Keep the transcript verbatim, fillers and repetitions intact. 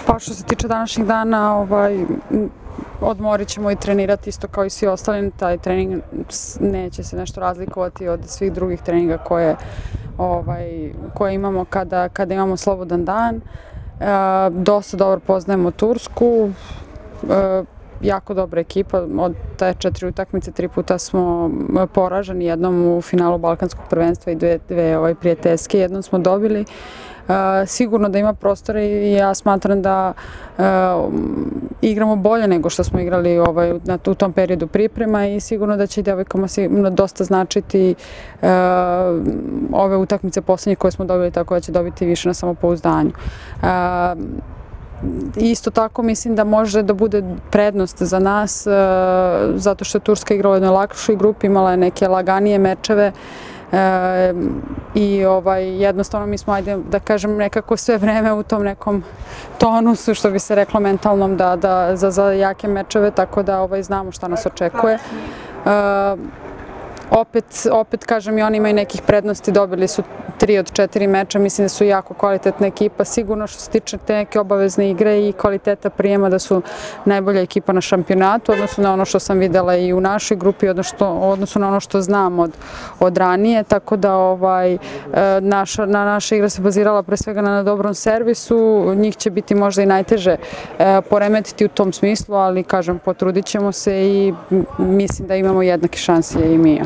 Pa što se tiče današnjeg dana, ovaj, odmorit ćemo i trenirati isto kao i svi ostali. Taj trening neće se nešto razlikovati od svih drugih treninga koje, ovaj, koje imamo kada, kada imamo slobodan dan. E, dosta dobro poznajemo Tursku. E, jako dobra ekipa, od te četiri utakmice tri puta smo poraženi, jednom u finalu Balkanskog prvenstva i dve, dve ovaj, prijateljske, jednom smo dobili. Uh, sigurno da ima prostora i ja smatram da uh, igramo bolje nego što smo igrali ovaj, na, u tom periodu priprema i sigurno da će i devojkama dosta značiti uh, ove utakmice posljednje koje smo dobili, tako da će dobiti više na samopouzdanju. Uh, Isto tako mislim da može da bude prednost za nas uh, zato što je Turska igrala u jednoj lakšoj grupi, imala je neke laganije mečeve. E, i ovaj, jednostavno mi smo, ajde da kažem, nekako sve vreme u tom nekom tonusu, što bi se reklo mentalnom, da, da, za, za jake mečeve, tako da ovaj, znamo šta nas očekuje. E, opet, opet kažem, i oni imaju nekih prednosti, dobili su tri od četiri meča, mislim da su jako kvalitetna ekipa, sigurno što se tiče te neke obavezne igre i kvaliteta prijema da su najbolja ekipa na šampionatu, odnosno na ono što sam videla i u našoj grupi, odnosno na ono što znam od, od ranije, tako da ovaj, naša, na naša igra se bazirala pre svega na dobrom servisu, njih će biti možda i najteže poremetiti u tom smislu, ali kažem, potrudit ćemo se i mislim da imamo jednake šanse i mi.